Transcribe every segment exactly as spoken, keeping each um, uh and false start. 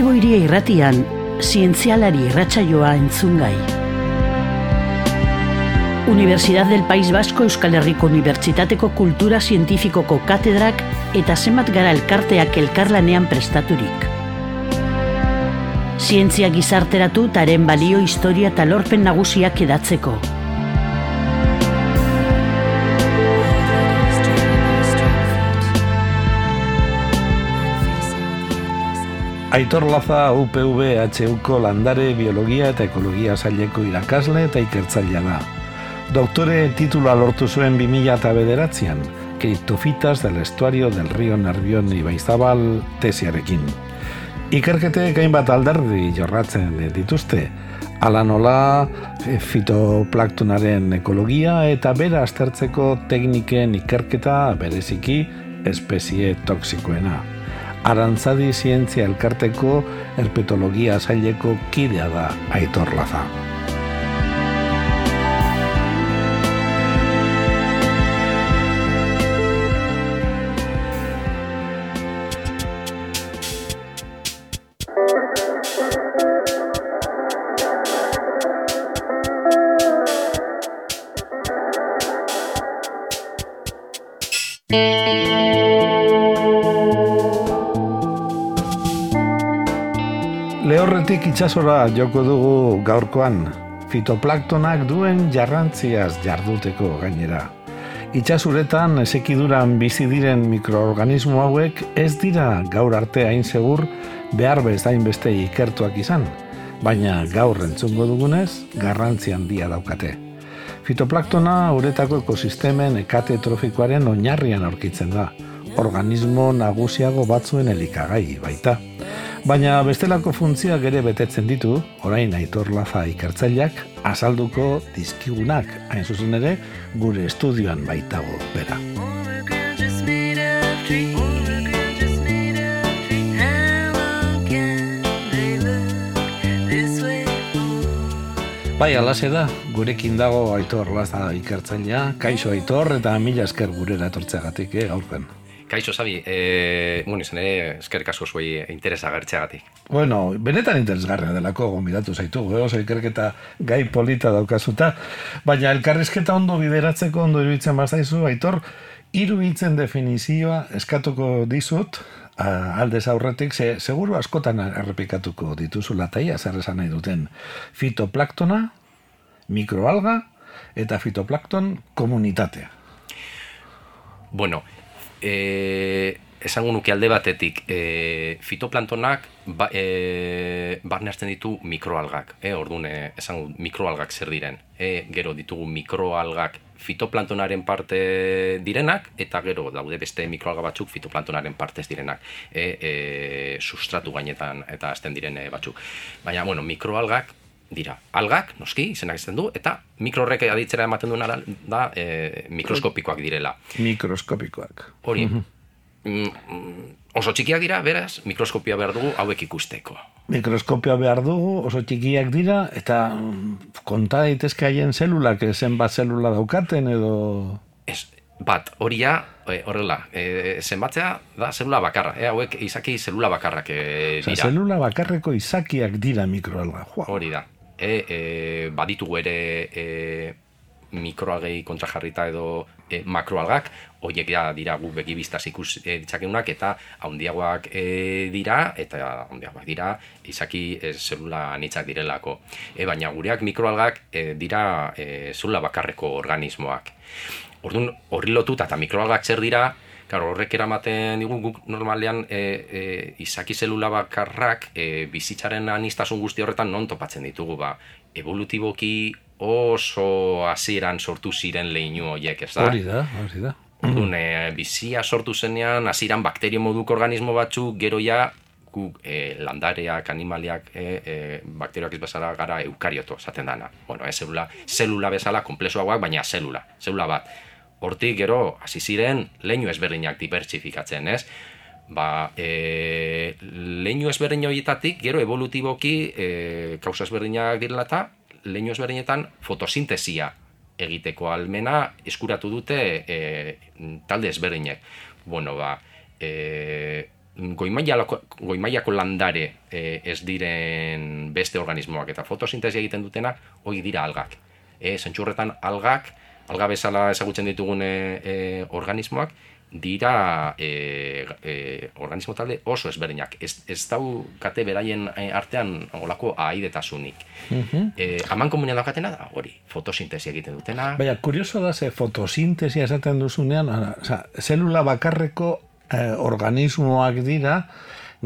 Bilbo Hiria Irratian, zientzialari irratsaioa entzungai. Universidad del País Vasco Euskal Herriko Unibertsitateko Kultura Zientifikoko katedrak eta zenbat gara elkarteak elkarlanean prestaturik. Zientzia gizarteratu taren balio, historia eta lorpen nagusiak edatzeko. Aitor Laza U P V H Uko landare, biologia eta ekologia saileko irakasle eta ikertzailea da. Doktore titula lortu zuen bi mila bederatzian, Criptofitas del estuario del río Nervión Ibaizabal tesiarekin. Ikerketek hainbat alderdi jorratzen dituzte, hala nola fitoplanktonaren ekologia eta bera aztertzeko tekniken ikerketa bereziki espezie toxikoena. Arantzadi zientzia elkarteko herpetologia saileko kidea da Aitor Laza. Lehorretik itsasora joko dugu gaurkoan, fitoplanktonak duen jarrantziaz jarduteko gainera. Itxasuretan esekiduran bizi diren mikroorganismo hauek ez dira gaur arte hain segur behar bezain beste ikertuak izan, baina gaur entzungo dugunez garrantzi handia daukate. Fitoplanktona uretako ekosistemen ekate trofikoaren oinarrian aurkitzen da, organismo nagusiago batzuen elikagai baita. Baina bestelako funtzioak ere betetzen ditu, orain Aitor Laza ikertzaileak azalduko dizkigunak, hain zuzen ere gure estudioan baitago bera. Bai, alaxe da, gurekin dago Aitor Laza ikertzailea, kaixo Aitor eta mila esker gurera etortzeagatik, eh, gaurpen. Kaixo, Sabi, e, bueno, izan ere, eskerrik asko zuei interesa agertzeagatik. Bueno, benetan interesgarria delako gonbidatu zaitugu, eh? Oso ikerketa gai polita daukazuta, baina elkarrizketa ondo bideratzeko ondo iruditzen bazaizu, Aitor, hiru hitzen definizioa eskatuko dizut, aldez aurretik, ze, seguru askotan errepikatuko dituzula taia, zer esan nahi duten, fitoplanktona, mikroalga eta fitoplankton komunitatea. Bueno, E, esango nuke alde batetik e, fitoplanktonak ba, e, barne hartzen ditu mikroalgak, e, orduan e, esango mikroalgak zer diren, e, gero ditugu mikroalgak fitoplanktonaren parte direnak eta gero daude beste mikroalga batzuk fitoplanktonaren partez direnak, e, e, sustratu gainetan eta azten diren batzuk, baina bueno, mikroalgak dira, algak, noski, izenak izten du, eta mikrorrek aditzera ematen duena da e, mikroskopikoak direla. Mikroskopikoak. Hori, mm, oso txikiak dira, beraz, mikroskopia behar dugu hauek ikusteko. Mikroskopia behar dugu, oso txikiak dira, eta konta daitezke haien zelulak, zenbat zelula daukaten edo... Ez, bat, hori ja, horrela, e, zenbatzea da zelula bakarra, e, hauek izaki zelula bakarrak e, dira. Osa, zelula bakarreko izakiak dira mikroalga. Hori da. E, e, baditugu ere e, mikroalgei kontrajarrita edo e, makroalgak, horiek ja dira gu begibiztaz ikus e, ditzakenunak eta handiagoak e, dira, eta handiagoak dira izaki e, zelula anitzak direlako. E, baina gureak mikroalgak e, dira e, zelula bakarreko organismoak. Orduan, horri lotuta eta mikroalgak zer dira, claro, horrek eramaten digu guk normalean e, e, izaki zelula bakarrak e, bizitzaren aniztasun guzti horretan non topatzen ditugu, ba, evolutiboki oso hasieran sortu ziren leinu horiek, ez da? Hori da, hori da. Orduan, e, bizia sortu zenean, hasieran bakterio moduko organismo batzuk, gero ja, guk e, landareak, animaliak, e, e, bakterioak ez bezala gara eukarioto, esaten dana. Bueno, e, zelula, zelula bezala, komplexuagoak, baina zelula, zelula bat. Hortik gero, hasi ziren, leinu ezberdinak dibertsifikatzen, ez? Ba, e, leinu ezberdin horietatik, gero evolutiboki e, kausa ezberdinak direla eta leinu ezberdinetan fotosintesia egiteko almena eskuratu dute e, talde ezberdinek. Bueno, ba, e, goimailako, goimailako landare e, ez diren beste organismoak eta fotosintesia egiten dutenak, hori dira algak. E, Zentzurretan algak, alga bezala ezagutzen ditugun e, e, organismoak, dira e, e, organismo talde oso ezberdinak. Ez, ez daukate beraien artean olako ahaidetasunik. Uh-huh. E, Aman komunean daukatena da, hori, fotosintesia egiten dutena. Baina, kurioso da, ze fotosintesia esaten duzunean, oza, zelula bakarreko eh, organismoak dira,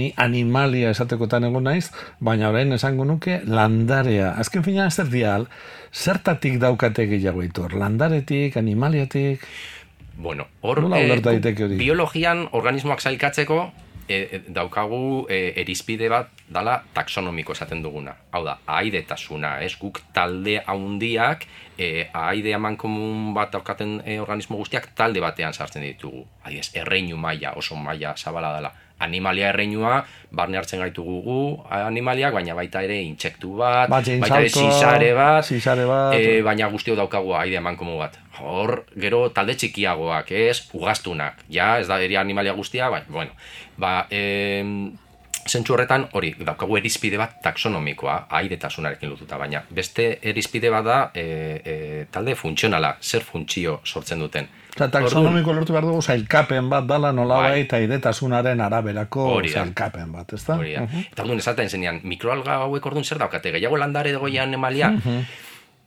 ni animalia esatekotan egon naiz, baina orain esango nuke landarea. Azken fina zer dial, zertatik daukate gehiago itor? Landaretik, animaliatik? Bueno, hor, eh, biologian organismoak sailkatzeko e, daukagu e, erizpide bat dala taxonomiko esaten duguna. Hau da, ahaidetasuna, ez guk talde haundiak, e, ahaide amankomun bat daukaten e, organismo guztiak talde batean sartzen ditugu. Adiez, erreinu maila, oso maila zabala dela. Animalia erreinua, barne hartzen gaitugu gu animaliak, baina baita ere intsektu bat, baita ere zizare bat, zizare bat e, baina guztio daukagu aide emankomu bat. Hor, gero talde txikiagoak, ez, ugaztunak, ja, ez da eri animalia guztia, baina, bueno, ba, e, zentzu horretan, hori, daukagu erizpide bat taxonomikoa, aidetasunarekin lotuta, baina beste erizpide bat da e, e, talde funtzionala, zer funtzio sortzen duten. Eta taxonomiko lortu behar dugu zailkapen bat dala nolabait eta aidetasunaren araberako zailkapen bat, ez da? Hori da. Uh-huh. Eta orduan esaten zenean, mikroalga hauek orduan zer daukate, gehiago landare dagoian emalia, uh-huh.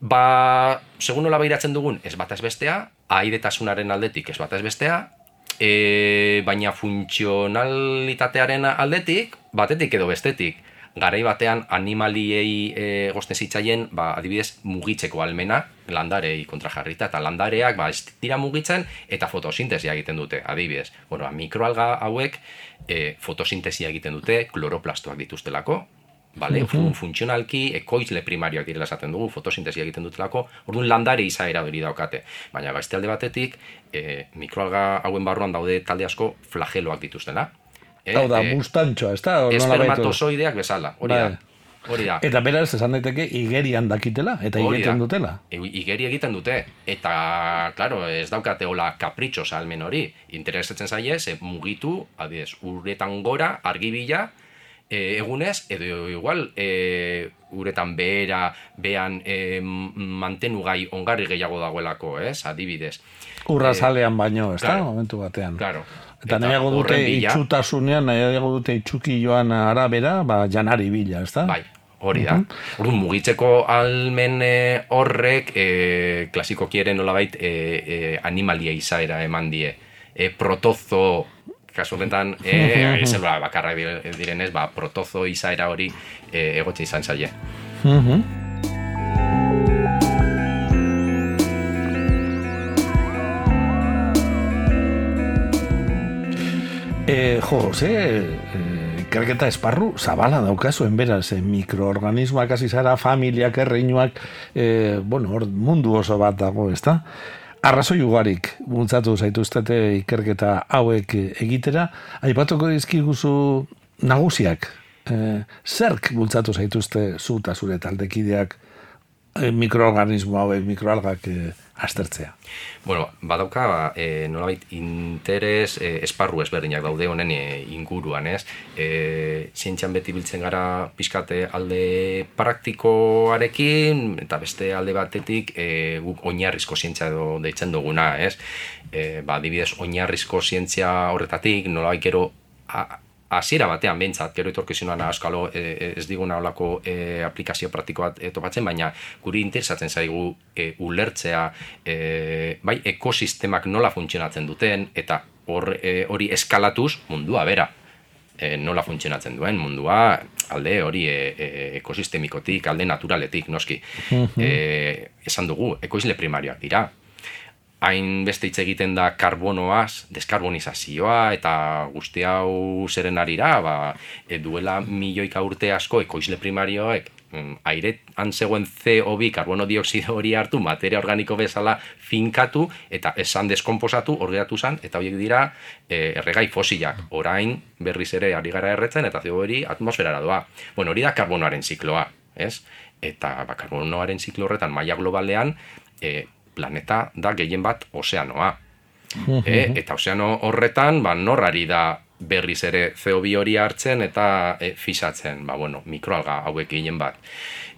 ba, segun nola behiratzen dugun, ez bat ez bestea, aidetasunaren aldetik ez bat ez bestea, e, baina funtzionalitatearen aldetik, batetik edo bestetik, garai batean animaliei e, gozten zitzaien, ba, adibidez, mugitzeko almena, landarei kontrajarrita, eta landareak ba, ez dira mugitzen eta fotosintesia egiten dute, adibidez. Bueno, mikroalga hauek e, fotosintesia egiten dute, kloroplastoak dituztelako, vale? Uh-huh. Funtzionalki, ekoizle primarioak direla esaten dugu, fotosintesia egiten dutelako, orduan landare izaera hori daukate. Baina beste alde batetik, e, mikroalga hauen barruan daude talde asko flageloak dituztena. Hau da, bustantxoa, ez da? Espermatozoideak bezala, hori da. Hori da. Eta beraz, esan daiteke, igerian dakitela, eta igeten dutela. E, igeri egiten dute, eta, klaro, ez daukate hola kapritxo salmen hori. Interesatzen zaie, ze mugitu, adiez, uretan gora, argibila, e, egunez, edo igual, e, uretan behera, behan e, mantenugai ongarri gehiago dagoelako, ez, adibidez. Urra zalean baino, ez da, momentu batean. Claro. Eta, eta nahiago dute itxutasunean, nahiago dute itxuki joan arabera, ba, janari bila, ez da? Bai, hori da. Uh-huh. Orduan, mugitzeko almen horrek, e, klasikoki ere nolabait e, e, animalia izaera eman die. E, protozo, kasu honetan, e, ez ba, bakarra direnez, ba, protozo izaera hori e, egotxe izan zaie. Uh-huh. E, jo, ze, e, ikerketa esparru zabala daukazuen beraz, e, mikroorganismoak hasi zara, familiak, erreinuak, e, bueno, hor mundu oso bat dago, ez da? Arrazoi ugarik bultzatu zaituztete ikerketa hauek egitera, aipatuko dizkiguzu nagusiak, e, zerk bultzatu zaituzte zu eta zure taldekideak e, mikroorganismo hauek, mikroalgak e, aztertzea? Bueno, badauka, e, nolabait interes e, esparru ezberdinak daude honen e, inguruan, ez? E, zientzian beti biltzen gara pixkate alde praktikoarekin, eta beste alde batetik e, guk oinarrizko zientzia edo deitzen duguna, ez? E, ba, adibidez, oinarrizko zientzia horretatik, nolabait gero a, hasiera batean behintzat, gero etorkizunan askalo e, ez diguna olako e, aplikazio praktiko bat e, topatzen, baina guri interesatzen zaigu e, ulertzea e, bai ekosistemak nola funtzionatzen duten, eta hor, e, hori eskalatuz mundua bera e, nola funtzionatzen duen mundua, alde hori e, e, ekosistemikotik, alde naturaletik, noski. Uh-huh. E, esan dugu, ekoizle primarioak dira. Hain beste hitz egiten da karbonoaz, deskarbonizazioa, eta guzti hau zeren arira, ba, e, duela milioika urte asko ekoizle primarioek airean zegoen C O bi karbono dioksido hori hartu, materia organiko bezala finkatu, eta esan deskomposatu, orgeratu zan, eta horiek dira e, erregai fosilak. Orain berriz ere ari gara erretzen, eta C O hori atmosferara doa. Bueno, hori da karbonoaren zikloa, ez? Eta ba, karbonoaren ziklo horretan maila globalean, e, planeta da gehien bat ozeanoa. E, eta ozeano horretan, ba, nor ari da berriz ere C O bi hori hartzen eta e, fisatzen, ba, bueno, mikroalga hauek gehien bat.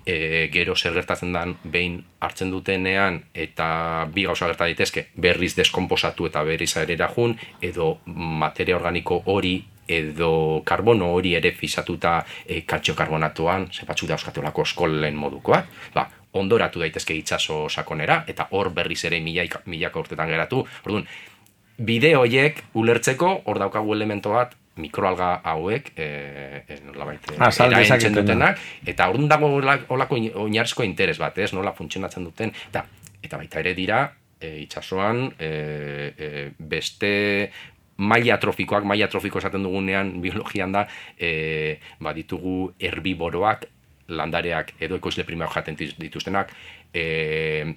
E, gero zer gertatzen den behin hartzen dutenean eta bi gauza gerta daitezke, berriz deskomposatu eta berriz aerera jun, edo materia organiko hori edo karbono hori ere fisatuta e, kaltziokarbonatuan, ze batzuk dauzkatelako eskolen modukoak, ba, ondoratu daitezke itsaso sakonera, eta hor berriz ere milaka, milaka urtetan geratu. Orduan, bide horiek ulertzeko, hor daukagu elemento bat, mikroalga hauek, e, e, nolabait, ah, eraentzen dutenak, eta orduan dago olako oinarrizko interes bat, ez, nola funtzionatzen duten, eta, eta baita ere dira, e, itsasoan, e, e, beste maila trofikoak, maila trofiko esaten dugunean biologian da, e, ba, ditugu herbiboroak, landareak edo ekoizle primario jaten dituztenak, e,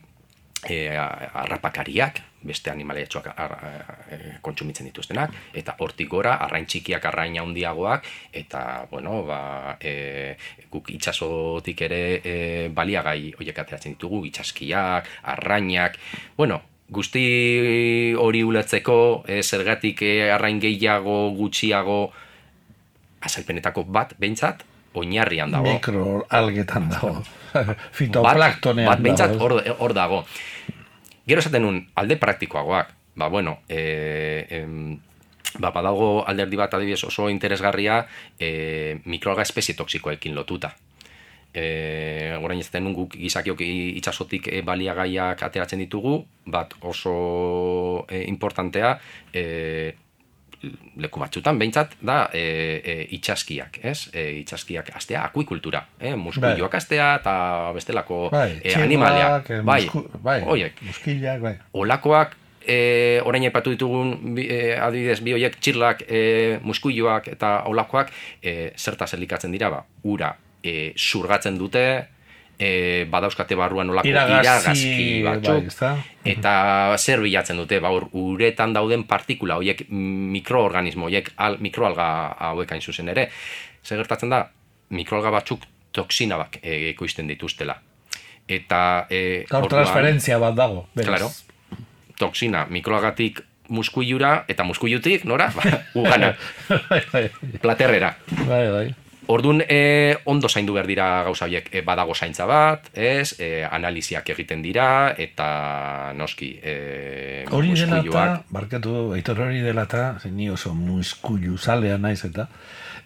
e, arrapakariak, beste animaliatxoak kontsumitzen dituztenak, eta hortik gora, arrain txikiak, arrain handiagoak, eta, bueno, ba, e, guk itsasotik ere e, baliagai horiek ateratzen ditugu, itsaskiak, arrainak, bueno, guzti hori ulertzeko, e, zergatik e, arrain gehiago, gutxiago, azalpenetako bat, behintzat, oinarrian dago. Mikroalgetan dago. Fitoplaktonean bat, bat behintzat hor, hor dago. Gero esaten nun, alde praktikoagoak. Ba, bueno, e, em, ba, badago alderdi bat adibidez oso interesgarria e, mikroalga espezie toksikoekin lotuta. E, orain ez den guk gizakiok itsasotik e, baliagaiak ateratzen ditugu, bat oso e, importantea, e, leku batzutan, behintzat, da e, e, itsaskiak, ez? E, itsaskiak astea, akuikultura, eh? Muskuilloak astea eta bestelako bai, e, animaliak. Bai, musku, bai, oiek, muskillak, bai. Olakoak, e, orain aipatu ditugun, e, adibidez, bi horiek txirlak, e, muskuilloak eta olakoak, e, zertaz elikatzen dira, ba, ura e, surgatzen dute, E, badauzkate barruan olako iragazki batzuk, bai, eta zer bilatzen dute, ba, uretan dauden partikula, horiek mikroorganismo, horiek al, mikroalga hauek hain zuzen ere. Zer gertatzen da, mikroalga batzuk toksina bak e, ekoizten dituztela. Eta... E, Gaur transferentzia bat dago. Claro, toksina, mikroalgatik muskuilura, eta muskuilutik, nora? Ba, ugana, platerrera. Bai, bai. Orduan, e, ondo zaindu behar dira gauza horiek, e, badago zaintza bat, ez, e, analiziak egiten dira, eta noski, e, hori dela eta, barkatu, aitor hori dela eta, ni oso muskuilu zalea naiz eta,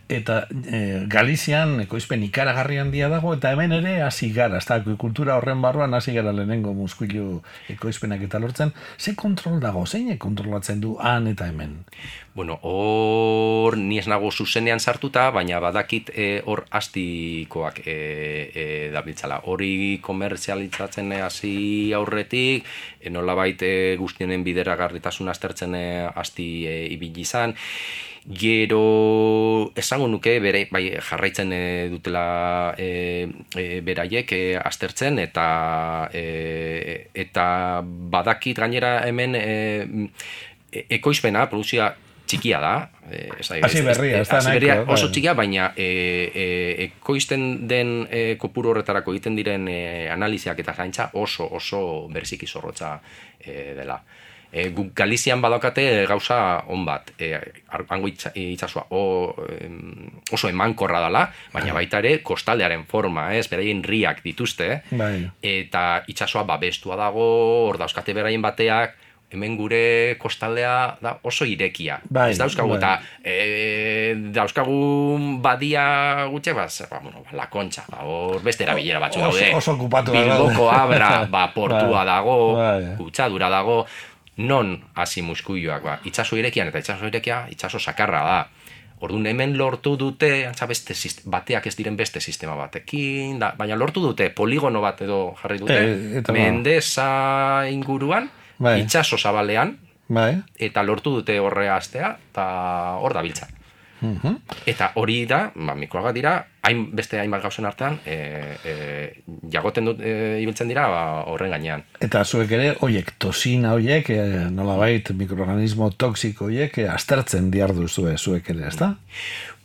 eta e, Galizian ekoizpen ikaragarri handia dago, eta hemen ere hasi gara, ez da, kultura horren barruan hasi gara lehenengo muskuilu ekoizpenak eta lortzen, ze kontrol dago, zein kontrolatzen du han eta hemen? Bueno, hor ni ez nago zuzenean sartuta, baina badakit hor e, astikoak e, e, dabiltzala. Hori komertzialitzatzen hasi aurretik, e, nolabait e, guztienen bideragarritasun aztertzen e, asti e, ibili izan. Gero esango nuke bere, bai, jarraitzen e, dutela e, e, beraiek e, aztertzen eta e, eta badakit gainera hemen e, ekoizpena, produkzioa txikia da, e, hasi berria, ez da nahiko, oso txikia, baina e, e, ekoizten den e, kopuru horretarako egiten diren e, analiziak eta zaintza oso oso berziki zorrotza e, dela. E, guk Galizian badaukate gauza on bat, e, hango itsasoa oso emankorra dela, baina baita ere kostaldearen forma, ez, beraien riak dituzte, bai. Eta itsasoa babestua dago, hor dauzkate beraien bateak, hemen gure kostaldea da oso irekia. Bai, ez dauzkagu, bai. eta e, dauzkagu badia gutxe, ba, ba, bueno, la Kontxa, ba, hor beste erabilera batzu daude. Oso okupatu da. Bilboko Abra, ba, portua Bai, dago, bai. kutsadura dago, non hasi muskuilloak, ba, itsaso irekian, eta itsaso irekia, itsaso sakarra da. Orduan hemen lortu dute, antza beste bateak ez diren beste sistema batekin, da, baina lortu dute poligono bat edo jarri dute, E, eta Mendesa inguruan, bai. itsaso zabalean, Bai. eta lortu dute horre astea, eta hor da biltza. Uh-huh. Eta hori da, ba, mikroalga dira, hain beste hainbat gauzen artean, e, e, jagoten dut, e, ibiltzen dira ba, horren gainean. Eta zuek ere, oiek, tosina oiek, e, nolabait mikroorganismo toksiko oiek, e, aztertzen diardu zue zuek ere, ez da?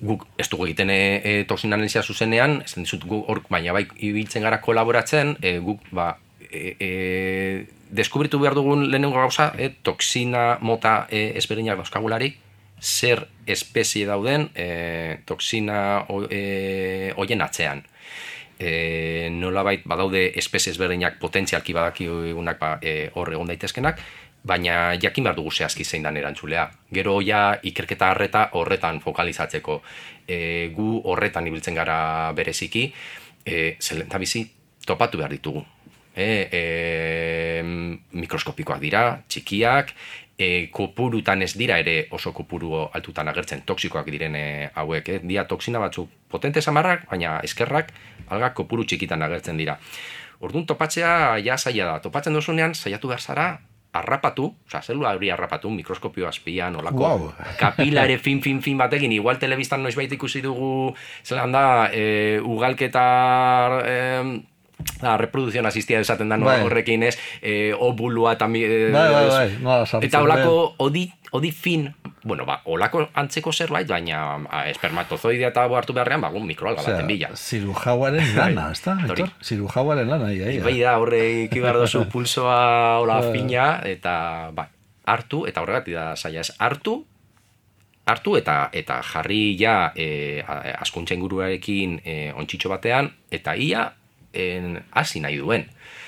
Guk ez dugu egiten e, e, toksina analizia zuzenean, ez dizut guk hor, baina bai ibiltzen gara kolaboratzen, e, guk ba, e, e, deskubritu behar dugun lehenengo gauza, e, toksina mota e, ezberdinak dauzkagularik, zer espezie dauden e, toksina e, hoien atzean. E, nolabait badaude espezie ezberdinak potentzialki badakigunak ba, e, hor egon daitezkenak, baina jakin behar dugu zehazki zein dan erantzulea. Gero ja ikerketa harreta horretan fokalizatzeko. E, gu horretan ibiltzen gara bereziki, e, zelenta bizi topatu behar ditugu. E, e, mikroskopikoak dira, txikiak, e, kopurutan ez dira ere oso kopuru altutan agertzen, toksikoak diren e, hauek. E, dia toksina batzuk potente samarrak, baina eskerrak algak kopuru txikitan agertzen dira. Orduan topatzea ja zaila da. Topatzen duzunean saiatu behar zara harrapatu, oza, zelula hori harrapatu, mikroskopio azpian, olako wow. kapilare fin, fin, fin batekin, igual telebistan noizbait ikusi dugu, zelan da, e, ugalketa... E, La reproducción asistida esaten da no, bai. Horrekin ez, eh, obulua eta eh, bai, bai, bai. No, eta olako odi, odi fin, bueno, ba, olako antzeko zerbait, baina a, espermatozoidea eta hartu beharrean, ba, un mikroalga baten bila. Zirujauaren lana, ez da? Zirujauaren lana, ia, ia. Bai da, horre ikibar dozu pulsoa hola fina, eta ba, hartu, eta horregatik da zaila ez, hartu, hartu eta eta jarri ja eh, askuntza inguruarekin eh, ontxitxo batean, eta ia en hasi nahi duen.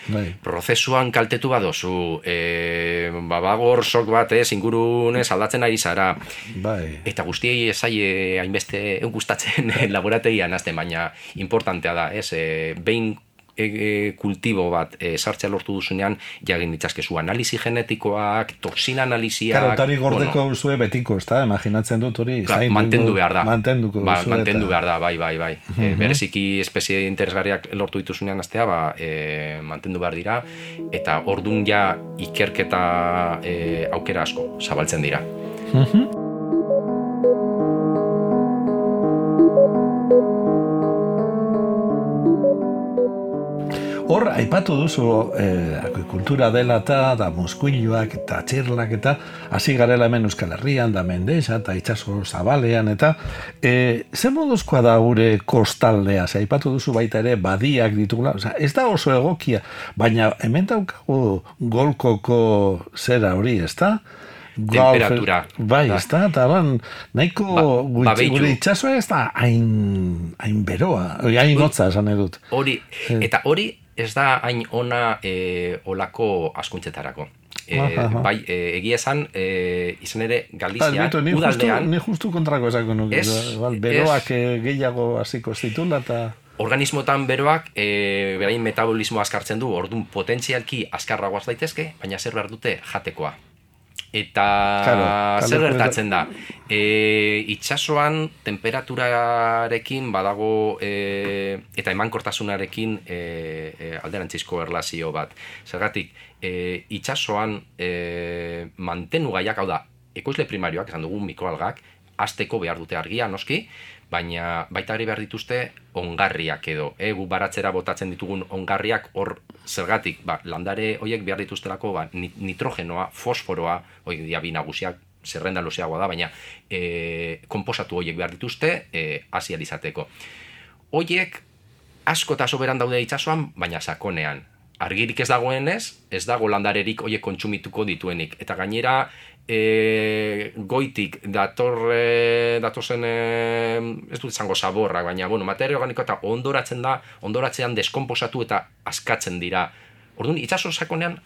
Bai. Prozesuan kaltetu badozu, e, babagor sok bat ez, ingurunez aldatzen ari zara. Bai. Eta guztiei ezaie hainbeste gustatzen laborategian azten, baina importantea da, ez, e, behin e, e, kultibo bat e, sartzea lortu duzunean, jagin ditzazkezu analizi genetikoak, toksina analiziak... Karo, tari gordeko bueno, zue betiko, ez da? Imaginatzen dut hori... Klar, mantendu behar da. Mantenduko ba, zue mantendu eta... behar da, bai, bai, bai. Uh-huh. E, bereziki espezie interesgarriak lortu dituzunean aztea, ba, e, mantendu behar dira, eta ordun ja ikerketa e, aukera asko zabaltzen dira. Uh-huh. Hor, aipatu duzu eh, akuikultura dela eta da muskuiluak eta txirlak eta hasi garela hemen Euskal Herrian, da Mendexa eta itxaso zabalean eta eh, ze moduzkoa da gure kostaldea, ze aipatu duzu baita ere badiak ditugula, oza, ez da oso egokia, baina hemen daukagu golkoko zera hori, ez da? Temperatura. Bai, ez da, eta ban, nahiko ba, gure itxasoa ez da hain, hain beroa, hain hotza esan edut. Hori, eta hori ez da hain ona e, olako askuntzetarako. E, bai, e, egia esan, e, izan ere Galizia, ah, ni udaldean... Justu, ni justu kontrako esako nuke, beroak es, gehiago hasiko zitula eta... Organismotan beroak, e, berain metabolismo askartzen du, orduan potentzialki askarragoaz daitezke, baina zer behar dute jatekoa. Eta claro, zer gertatzen da, e, itxasoan temperaturarekin badago e, eta emankortasunarekin e, e, alderantzizko erlazio bat. Zergatik, e, itxasoan e, mantenu gaiak, hau da, ekoizle primarioak, esan dugu mikroalgak, hasteko behar dute argia, noski, baina baita ere behar dituzte ongarriak edo. E, gu baratzera botatzen ditugun ongarriak hor zergatik, ba, landare horiek behar dituztelako ba, nitrogenoa, fosforoa, hori dia bi nagusiak, zerrenda luzeagoa da, baina e, konposatu horiek behar dituzte e, hasi alizateko. Horiek asko eta soberan daude itxasoan, baina sakonean. Argirik ez dagoenez, ez dago landarerik horiek kontsumituko dituenik. Eta gainera, e, goitik dator, e, datozen, e, ez dut izango zaborrak, baina bueno, materia organiko eta ondoratzen da, ondoratzean deskonposatu eta askatzen dira. Orduan, itxaso sakonean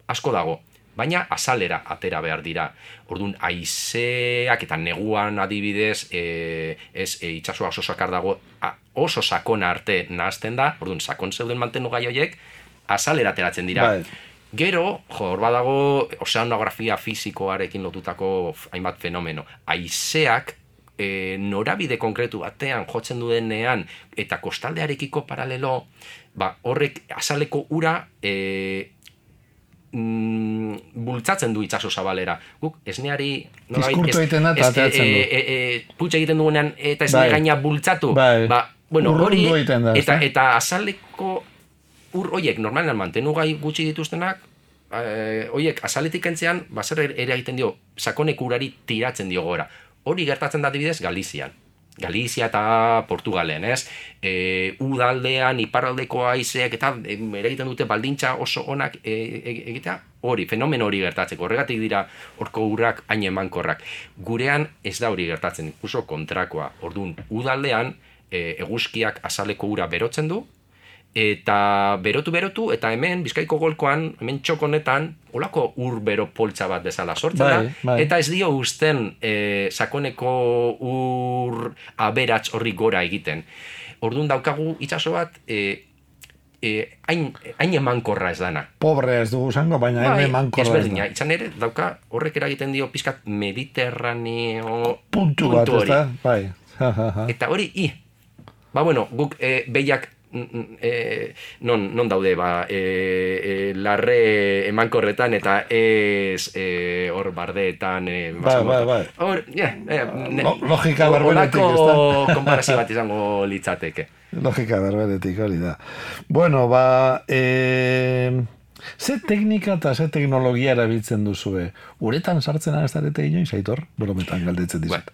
asko dago, baina azalera atera behar dira. Orduan, haizeak eta neguan adibidez, e, ez e, itxasoa oso sakar dago, a, oso sakona arte nahazten da, orduan, sakon zeuden mantenu gai horiek, azalera ateratzen dira. Bai. Gero, jo, hor badago ozeanografia fisikoarekin lotutako hainbat fenomeno. Haizeak e, norabide konkretu batean jotzen duenean eta kostaldearekiko paralelo, ba, horrek azaleko ura e, mm, bultzatzen du itxaso zabalera. Guk, esneari... Diskurtu egiten da eta ateratzen du. E, e, e, putxe egiten duenean eta esne gaina bultzatu. Bai. Ba, bueno, hori, da, eta, eta azaleko... Ur horiek normalean mantenu gai gutxi dituztenak, eh, horiek azaletik entzean, bazer ere egiten dio, sakonek urari tiratzen dio gora. Hori gertatzen da adibidez Galizian. Galizia eta Portugalen, ez? E, udaldean, iparraldeko haizeak eta e, egiten dute baldintza oso onak e, e, egitea hori, fenomen hori gertatzeko. Horregatik dira horko urrak hain emankorrak. Gurean ez da hori gertatzen, ikuso kontrakoa. Orduan, udaldean e, eguzkiak azaleko ura berotzen du, eta berotu-berotu, eta hemen, Bizkaiko golkoan, hemen txokonetan, olako ur bero poltsa bat bezala sortzen da, bai, bai. eta ez dio uzten e, sakoneko ur aberats horri gora egiten. Orduan daukagu itsaso bat, e, e, hain, hain emankorra ez dana. Pobre ez dugu zango, baina hain Bai, emankorra ez ezberdina, da. izan ere, dauka horrek eragiten dio pizkat mediterraneo Puntu bat, ez hori. da? Bai. Ja, ja, ja. Eta hori, i, ba bueno, guk e, behiak E, non, non daude ba, e, e, larre emankorretan eta ez e, hor bardeetan e, Bai, bai, bai. Hor, yeah, e, ne, Lo- logika berberetik, ez da? olako konparazio bat izango litzateke. Logika berberetik hori da. Bueno, ba, e, ze teknika eta ze teknologia erabiltzen duzue? Uretan sartzen ez darete inoiz, Aitor? Brometan galdetzen dizut.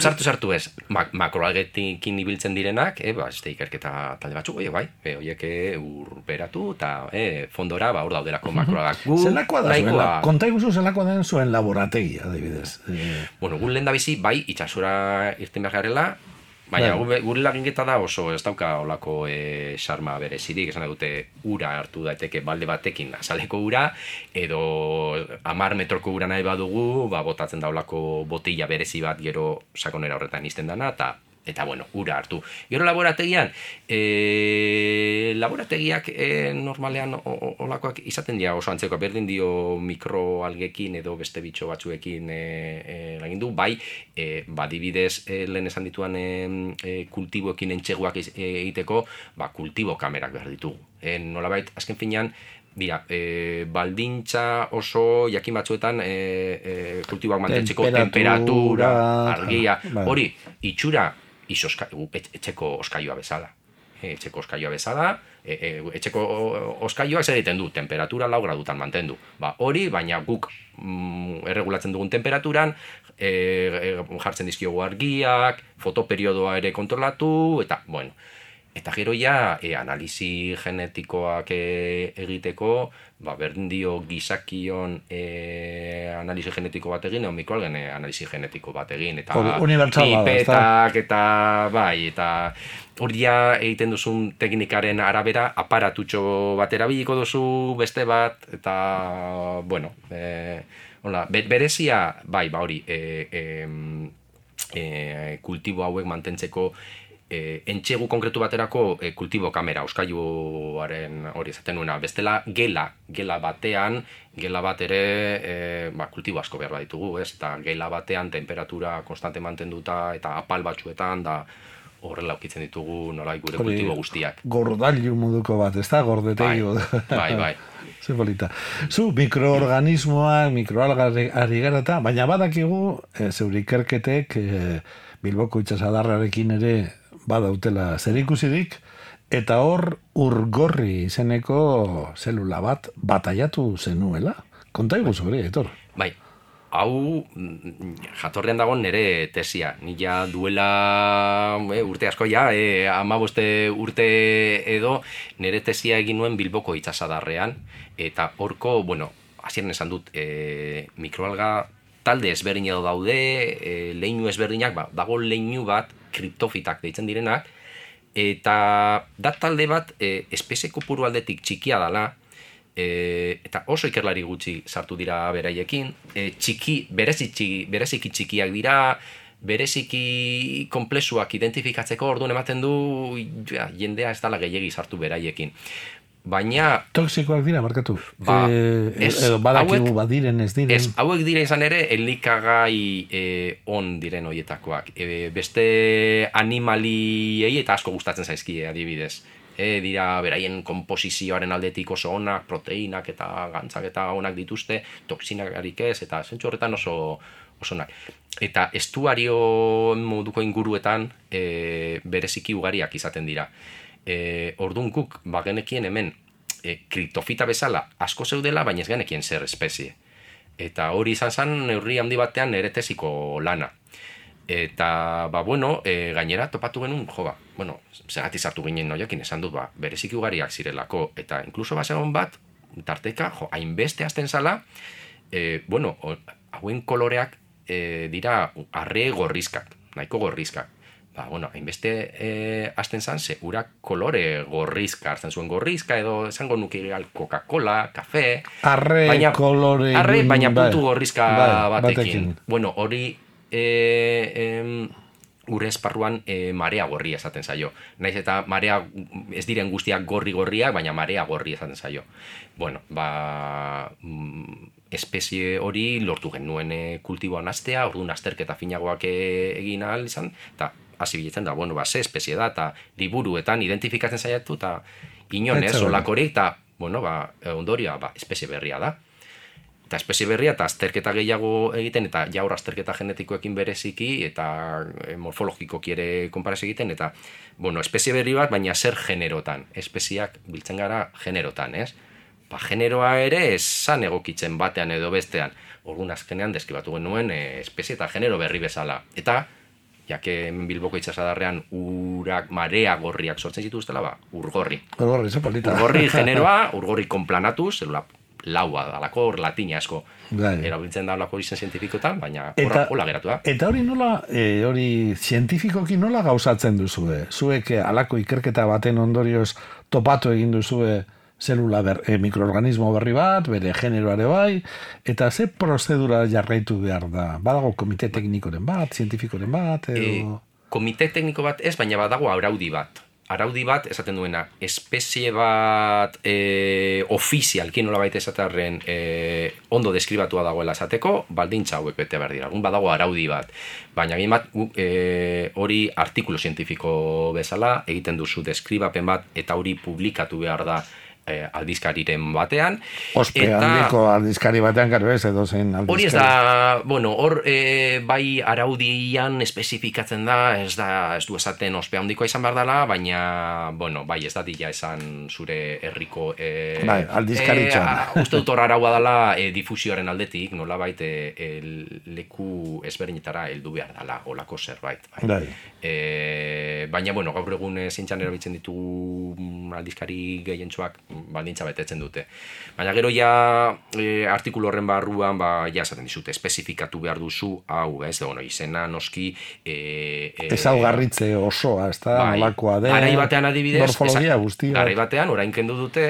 Sartu, sartu ez, Mak makroalgetekin ibiltzen direnak, e, ba, este ikerketa talde batzuk, oie, bai, e, oiek urberatu eta e, fondora, ba, hor daudelako makroalgak. Gu, Zelakoa da zuen, nahikoa- la- konta iguzu zelakoa den zuen laborategia, adibidez. E, Bueno, gu lehen da bizi, bai, itxasura irten behar garela, baina Bai. gu- gure laginketa da oso ez dauka olako e, sarma berezirik, esan dute ura hartu daiteke balde batekin azaleko ura, edo hamar metroko ura nahi badugu, ba, botatzen da olako botila berezi bat gero sakonera horretan izten dana, eta eta bueno, ura hartu. Gero laborategian, e, laborategiak e, normalean o- o- olakoak izaten dira oso antzeko, berdin dio mikroalgekin edo beste bitxo batzuekin e, e, lagin du, bai, e, badibidez e, lehen esan dituan e, e, kultiboekin entxeguak iz- e, egiteko, ba, kultibo kamerak behar ditugu. E, nolabait, azken finean, Bira, e, baldintza oso jakin batzuetan e, e, kultiboak mantentzeko Temperatura, temperatura, argia, bai. hori, itxura izoska, etxeko oskailua bezala. E, etxeko oskailua bezala, e, e, etxeko oskailuak zer egiten du, temperatura lau gradutan mantendu. Ba, hori, baina guk mm, erregulatzen dugun temperaturan, e, e, jartzen dizkiogu argiak, fotoperiodoa ere kontrolatu, eta, bueno, eta gero ja, e, analisi genetikoak e, egiteko, ba, berdin dio gizakion e, analisi genetiko bat egin, edo mikroalgen e, analisi genetiko bat egin, eta Hori, unibertsal bada, ezta? pipetak, eta bai, eta hori ja egiten duzun teknikaren arabera, aparatutxo bat erabiliko duzu, beste bat, eta, bueno, e, hola, be- berezia, bai, ba hori, e, e, e, kultibo hauek mantentzeko, E, entxegu konkretu baterako e, kultibo kamera, oskailuaren hori esaten nuena, bestela gela, gela batean, gela bat ere e, ba, kultibo asko behar baditugu, ez? Eta gela batean temperatura konstante mantenduta eta apal batzuetan da horrela ukitzen ditugu nolai gure Hori, kultibo guztiak. Gordailu moduko bat, ez da? Gordetegi. Bai, bai, bai. Ze polita. Zu, mikroorganismoak, mikroalgak ari gara eta, baina badakigu, e, zeure ikerketek, e, Bilboko itxasadarrarekin ere badautela zerikusirik, eta hor urgorri izeneko zelula bat bataiatu zenuela. Konta iguzu hori, Aitor. Bai, hau mm, jatorrean dago nire tesia. Ni ja duela e, urte asko ja, e, hamabost urte edo nire tesia egin nuen Bilboko itxasadarrean, eta horko, bueno, hasieran esan dut, e, mikroalga talde ezberdin edo daude, e, leinu ezberdinak, ba, dago leinu bat, kriptofitak deitzen direnak, eta da talde bat e, espezie kopuru aldetik txikia dala, e, eta oso ikerlari gutxi sartu dira beraiekin, e, txiki, berezi txiki, bereziki txikiak dira, bereziki konplexuak identifikatzeko orduan ematen du ja, jendea ez dala gehiegi sartu beraiekin. Baina Toxikoak dira, markatu. Ba, e, ez, edo badakigu hauek- badiren ez diren. Ez, hauek dira izan ere elikagai e, on diren hoietakoak. E, beste animaliei eta asko gustatzen zaizkie adibidez. E, dira beraien konposizioaren aldetik oso onak, proteinak eta gantzak eta onak dituzte, toxinakarik ez, eta zentzu horretan oso oso onak. Eta estuario moduko inguruetan e, bereziki ugariak izaten dira. E, orduan guk bagenekien hemen e, kriptofita bezala asko zeudela, baina ez genekien zer espezie. Eta hori izan zen neurri handi batean nire tesiko lana. Eta, ba, bueno, e, gainera topatu genuen, jo, ba, bueno, zergatik sartu ginen noiakin, esan dut, ba, bereziki ugariak zirelako, eta inkluso basegon bat, tarteka, jo, hainbeste hasten zala, e, bueno, hauen koloreak e, dira arre gorrizkak, nahiko gorrizkak. Ba, bueno, hainbeste e, hasten zan, ze urak kolore gorrizka, hartzen zuen gorrizka, edo esango nuke Coca-Cola, kafe... Arre baina, kolore... Arre, baina puntu gorrizka bai, batekin. batekin. Bueno, hori... E, em, gure esparruan e, marea gorria esaten zaio. Naiz eta marea ez diren guztiak gorri-gorriak, baina marea gorri esaten zaio. Bueno, ba... espezie hori lortu genuen e, kultiboan astea, orduan azterketa finagoak e, egin ahal izan, eta hasi biletzen da, bueno, ba, ze espezie da, eta liburuetan identifikatzen zaiatu, eta inonez, olakorik, eta, bueno, ba, ondorioa, ba, espezie berria da. Eta espezie berria eta azterketa gehiago egiten, eta jaur azterketa genetikoekin bereziki, eta morfologikoki ere konparazio egiten, eta, bueno, espezie berri bat, baina zer generotan. Espezieak biltzen gara generotan, ez? Ba, generoa ere esan egokitzen batean edo bestean. Orduan azkenean deskribatu genuen e, espezie eta genero berri bezala. Eta, jake Bilboko itsasadarrean urak marea gorriak sortzen zituztela, ba, urgorri. Urgorri, ze polita. Urgorri generoa, urgorri konplanatu, zelula laua dalako, hor latina asko Gai. erabiltzen da olako izen zientifikotan, baina Eta- hola geratu da. Eta hori nola, e, hori zientifikoki nola gauzatzen duzue? Zuek e, halako ikerketa baten ondorioz topatu egin duzue zelula ber, e, mikroorganismo berri bat, bere generoare bai, eta ze prozedura jarraitu behar da? Badago komite teknikoren bat, zientifikoren bat, edo... E, komite tekniko bat ez, baina badago araudi bat. Araudi bat, esaten duena, espezie bat e, ofizialki nola baita esatarren e, ondo deskribatua dagoela esateko, baldintza hauek bete behar dira. Egun badago araudi bat. Baina egin bat, e, hori artikulu zientifiko bezala, egiten duzu deskribapen bat, eta hori publikatu behar da e, aldizkariren batean. Ospe eta, handiko aldizkari batean, garo ez, edo zen aldizkari. Hori ez da, bueno, hor e, bai araudian espezifikatzen da, ez da, ez du esaten ospe handikoa izan behar dela, baina, bueno, bai, ez da dila esan zure herriko... E, bai, aldizkaritzan. E, uste dut hor araua dela e, difusioaren aldetik, nola bait, e, e, leku ezberdinetara heldu behar dela, olako zerbait. Bai. Bai. E, baina, bueno, gaur egun zintxan erabiltzen ditugu aldizkari gehientsuak baldintza betetzen dute. Baina gero ja e, artikulu horren barruan ba, ja esaten dizute, espezifikatu behar duzu, hau, ez, bueno, izena noski... E, e, ezaugarritze osoa, ez da, bai, nolakoa den, garai batean adibidez, morfologia guztia. Garai batean, orain kendu dute,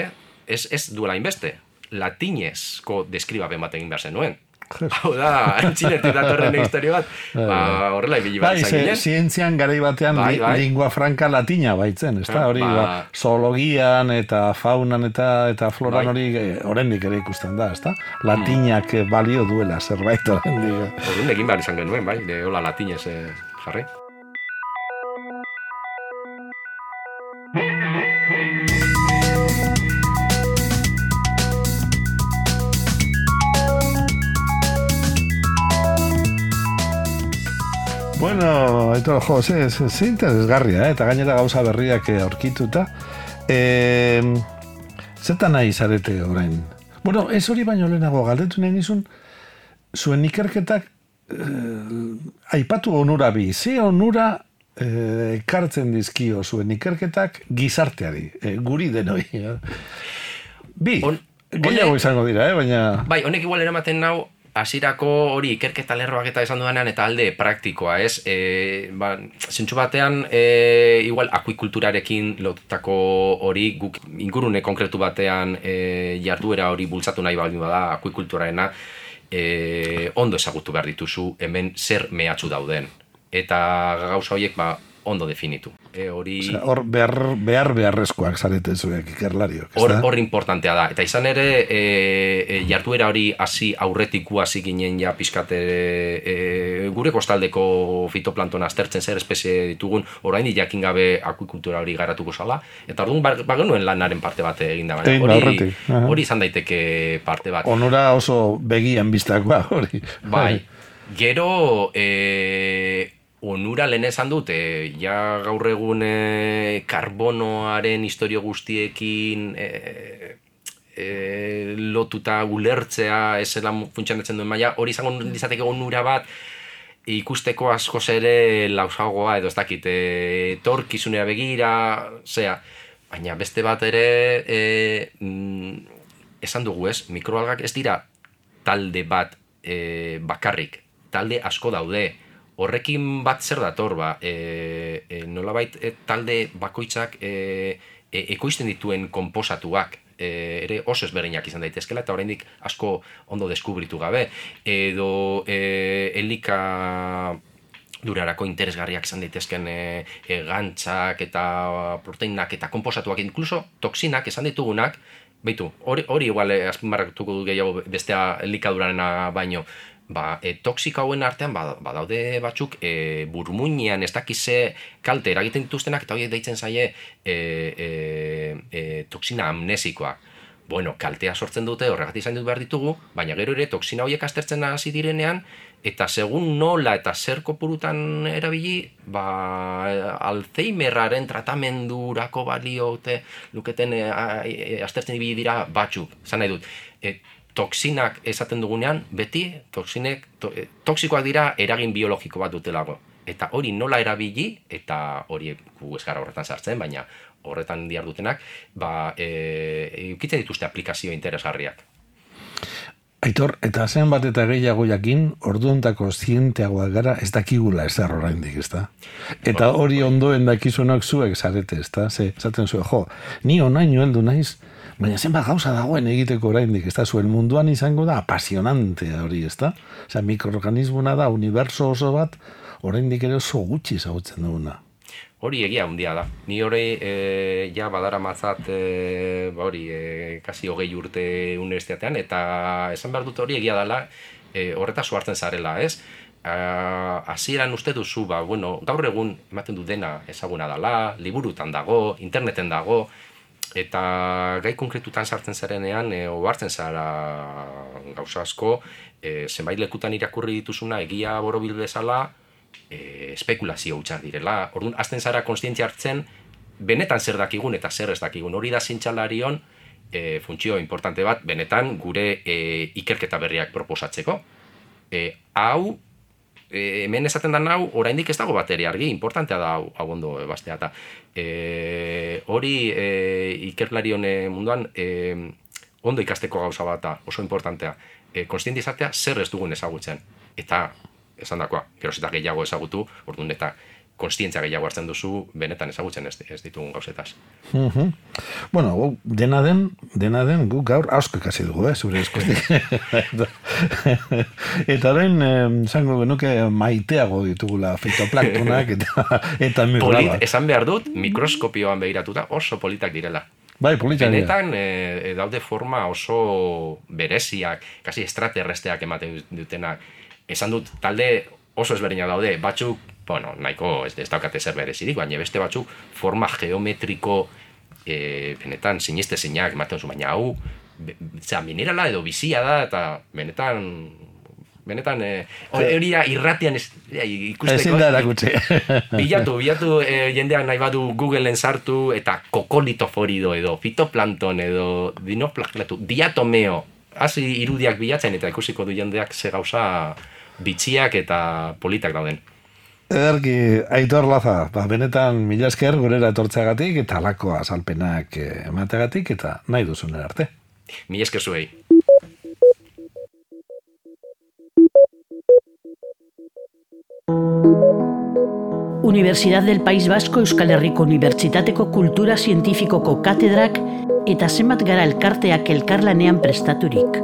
ez, ez duela inbeste, latinezko deskribapen bat egin behar zenuen. Hau da, txinetik datorren historio bat, ba, horrela ibili bat bai, izan ginen. zientzian garai batean bai, bai. lingua franca latina baitzen, ez da, hori ba, ba, zoologian eta faunan eta eta floran bai. hori eh, oraindik ere ikusten da, ez da? Latinak hmm. balio duela zerbait oraindik. Orduan egin behar izan genuen, bai, de hola latinez eh, jarri. Bueno, eto, jo, ze, ze, ze interesgarria, eh? Eta gainera gauza berriak aurkituta. E, Zetan nahi zarete orain? Bueno, ez hori baino lehenago galdetu nahi nizun, zuen ikerketak eh, aipatu onura bi. Ze onura eh, ekartzen dizkio zuen ikerketak gizarteari, eh, guri denoi. Eh? Bi, On, gehiago honek, izango dira, eh? Baina... Bai, honek igual eramaten nau, hasierako hori ikerketa lerroak eta esan dudanean eta alde praktikoa, ez? E, ba, zentsu batean, e, igual akuikulturarekin lotutako hori, guk ingurune konkretu batean e, jarduera hori bultzatu nahi baldin bada akuikulturaena, e, ondo ezagutu behar dituzu hemen zer mehatxu dauden. Eta gauza horiek ba, ondo definitu. E, hori... Osea, hor behar, behar beharrezkoak zarete zuek ikerlariok. Hor, hor importantea da. Eta izan ere, e, e, jarduera hori hasi aurretiku hasi ginen ja pixkate e, gure kostaldeko fitoplantona aztertzen zer espezie ditugun, orain jakin gabe akuikultura hori garatuko zala. Eta orduan bagenuen lanaren parte bat egin da. Egin Hori, aurretik. hori izan daiteke parte bat. Onura oso begian biztakoa hori. Bai. Gero, e, onura lehen esan dut, e, ja gaur egun e, karbonoaren historio guztiekin e, e, lotuta ulertzea, ez zela funtzionatzen duen maila, hori izango izateke onura bat, ikusteko askoz ere lausagoa edo ez dakit, etorkizunera begira, zea, baina beste bat ere e, mm, esan dugu ez, mikroalgak ez dira talde bat e, bakarrik, talde asko daude, horrekin bat zer dator, ba, e, e, nolabait e, talde bakoitzak e, e, ekoizten dituen konposatuak, E, ere oso ezberdinak izan daitezkela eta oraindik asko ondo deskubritu gabe edo e, elika durarako interesgarriak izan daitezken e, e, gantzak eta proteinak eta konposatuak, incluso toksinak esan ditugunak, beitu, hori, hori igual azpimarratuko du gehiago bestea elikadurarena baino, ba, e, toksika hauen artean badaude ba, batzuk e, burmuinean ez dakize kalte eragiten dituztenak eta horiek deitzen zaie e, e, e, toksina amnesikoa. Bueno, kaltea sortzen dute, horregatik izan dut behar ditugu, baina gero ere toksina horiek aztertzen hasi direnean eta segun nola eta zer kopurutan erabili, ba, Alzheimerraren tratamendurako baliote luketen e, e, aztertzen ibili dira batzuk, zan nahi dut. E, toksinak esaten dugunean, beti toksinek, to, toksikoak dira eragin biologiko bat dutelago. Eta hori nola erabili, eta hori gu ez gara horretan sartzen, baina horretan diardutenak, ba, e, ukitzen dituzte aplikazio interesgarriak. Aitor, eta zen bat eta gehiago jakin, orduontako zienteagoak gara ez dakigula ez da oraindik, ez da? Eta hori ondoen dakizunak zuek zarete, ez da? Ze, zaten zuen, jo, ni onaino heldu naiz, baina zenbat gauza dagoen egiteko oraindik, ez da? Zuen munduan izango da apasionante hori, ez da? Osea, mikroorganismona da, uniberso oso bat, oraindik ere oso gutxi ezagutzen duguna. Hori egia handia da. Ni hori e, ja badara matzat, e, ba hori, e, kasi hogei urte unibertsitatean, eta esan behar dut hori egia dela, e, horretaz hartzen zarela, ez? Hasieran uste duzu, ba, bueno, gaur egun ematen du dena ezaguna dela, liburutan dago, interneten dago, eta gai konkretutan sartzen zarenean, e, ohartzen zara gauza asko, e, zenbait lekutan irakurri dituzuna egia borobil bezala, e, espekulazio hutsak direla. Orduan, azten zara konstientzia hartzen, benetan zer dakigun eta zer ez dakigun. Hori da zientzialarion e, funtzio importante bat, benetan gure e, ikerketa berriak proposatzeko. E, hau, e, hemen esaten da hau, oraindik ez dago bateria argi, importantea da hau, hau ondo bastea. Eta e, hori e, ikerlarion munduan e, ondo ikasteko gauza bat da, oso importantea. E, konstientzia izatea zer ez dugun ezagutzen. Eta esan dakoa, geroz eta gehiago ezagutu, orduan eta konstientzia gehiago hartzen duzu, benetan ezagutzen ez, ez ditugun gauzetaz. Uh-huh. Bueno, dena den, dena den, guk gaur asko ikasi dugu, eh, zure eskutik. Eta orain, zango genuke maiteago ditugula fitoplantonak eta, eta Polit, esan behar dut, mikroskopioan begiratuta oso politak direla. Bai, politak dira. Benetan, e, daude forma oso bereziak, kasi extraterresteak ematen dutenak. Esan dut, talde oso ezberdinak daude, batzuk, bueno, nahiko ez, ez daukate zer berezirik, baina beste batzuk forma geometriko e, benetan siniste zeinak ematen zu, baina hau, be, zera, minerala edo bizia da, eta benetan, benetan, hori e, irratian ez, e, ikusteko. Ezin da erakutsi. Bilatu, bilatu e, jendeak nahi badu Googleen sartu, eta kokolitoforido edo, fitoplankton edo, dinoplaklatu, diatomeo, hasi irudiak bilatzen, eta ikusiko du jendeak ze gauza bitxiak eta politak dauden. Ederki, Aitor Laza, ba, benetan mila esker gurera etortzeagatik eta halako azalpenak emateagatik eta nahi duzunen arte. Mila esker zuei. Universidad del País Vasco Euskal Herriko Unibertsitateko Kultura Zientifikoko katedrak eta zenbat gara elkarteak elkarlanean prestaturik.